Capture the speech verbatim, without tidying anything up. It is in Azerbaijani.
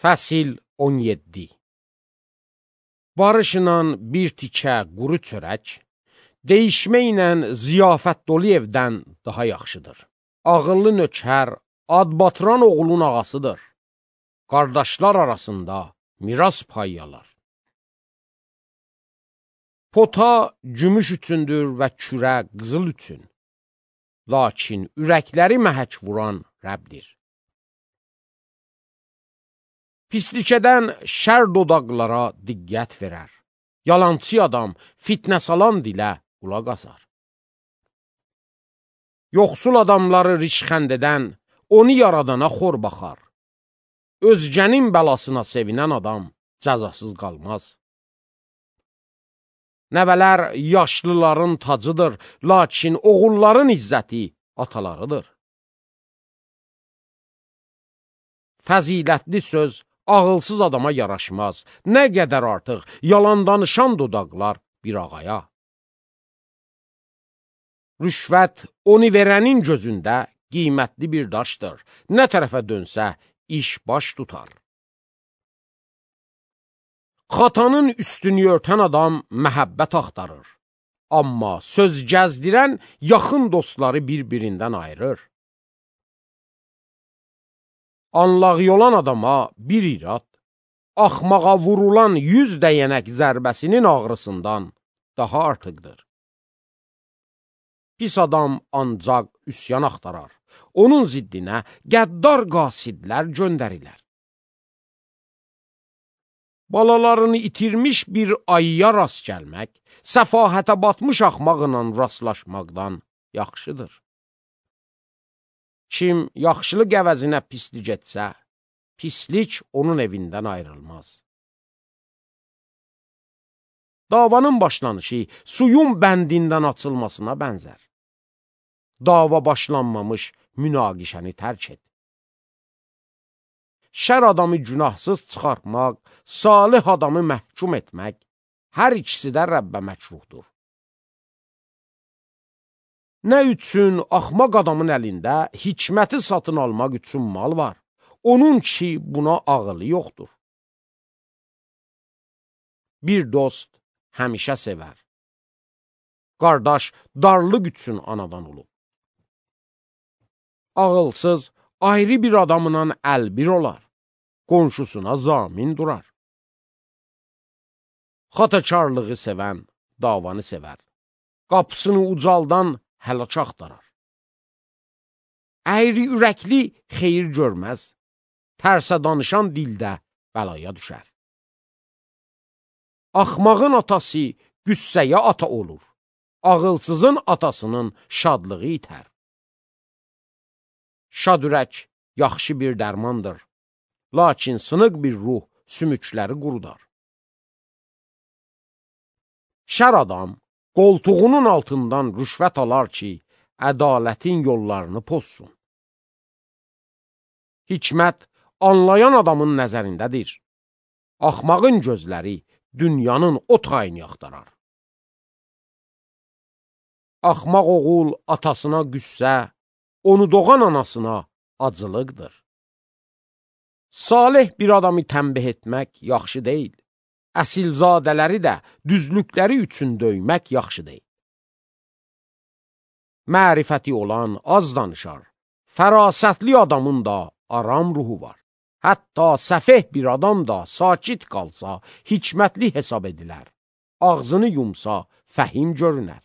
Fəsil on yeddi. Barışla bir tikə quru çörək, deyişmə ilə ziyafət dolu evdən daha yaxşıdır. Ağıllı nökər, ad batıran oğlun ağasıdır. Qardaşlar arasında miras payyalar. Pota gümüş üçündür və kürə qızıl üçün. Lakin ürəkləri məhək vuran Rəbdir. Pislikədən şər dodaqlara diqqət verər. Yalançı adam fitnə salan dilə qulaq asar. Yoxsul adamları rişxənd edən onu yaradana xor baxar. Özgənin bəlasına sevinən adam cəzasız qalmaz. Nəvələr yaşlıların tacıdır, lakin oğulların izzəti atalarıdır. Fəzilətli söz ağılsız adama yaraşmaz. Nə qədər artıq yalan danışan dodaqlar bir ağaya. Rüşvət onu verənin gözündə qiymətli bir daşdır. Nə tərəfə dönsə iş baş tutar. Xatanın üstünü örtən adam məhəbbət axtarır. Amma söz gəzdirən yaxın dostları bir-birindən ayırır. Anlağı olan adama bir irad, axmağa vurulan yüz dəyənək zərbəsinin ağrısından daha artıqdır. Pis adam ancaq üsyan axtarar. Onun ziddinə qəddar qasidlər göndərilər. Balalarını itirmiş bir ayıya rast gəlmək, səfahətə batmış axmaqla rastlaşmaqdan yaxşıdır. Kim yaxşılıq əvəzinə pislik etsə, pislik onun evindən ayrılmaz. Davanın başlanışı suyun bəndindən açılmasına bənzər. Dava başlanmamış münaqişəni tərk et. Şər adamı günahsız çıxartmaq, salih adamı məhkum etmək, hər ikisi də Rəbbə məkruhdur. Nə üçün axmaq adamın əlində hikməti satın almaq üçün mal var? Onun ki, buna ağılı yoxdur. Bir dost həmişə sevər. Qardaş darlıq üçün anadan olub. Ağılsız ayrı bir adamla əlbir olar. Qonşusuna zamin durar. Xatakarlığı sevən davanı sevər. Qapısını ucaldan həlak axtarar. Əyri ürəkli xeyir görməz. Tərsə danışan dildə bəlaya düşər. Axmağın atası qüssəyə ata olur. Ağılsızın atasının şadlığı itər. Şad ürək yaxşı bir dərmandır. Lakin sınıq bir ruh sümükləri qurudar. Şər adam qoltuğunun altından rüşvət alar ki, ədalətin yollarını pozsun. Hikmət anlayan adamın nəzərindədir. Axmağın gözləri dünyanın o tayını axtarar. Axmaq oğul atasına qüssə, onu doğan anasına acılıqdır. Salih bir adamı tənbih etmək yaxşı deyil. Əsilzadələri də düzlükləri üçün döymək yaxşı deyil. Mərifəti olan az danışar. Fərasətli adamın da aram ruhu var. Hətta səfeh bir adam da sakit qalsa, hikmətli hesab edilər. Ağzını yumsa, fəhim görünər.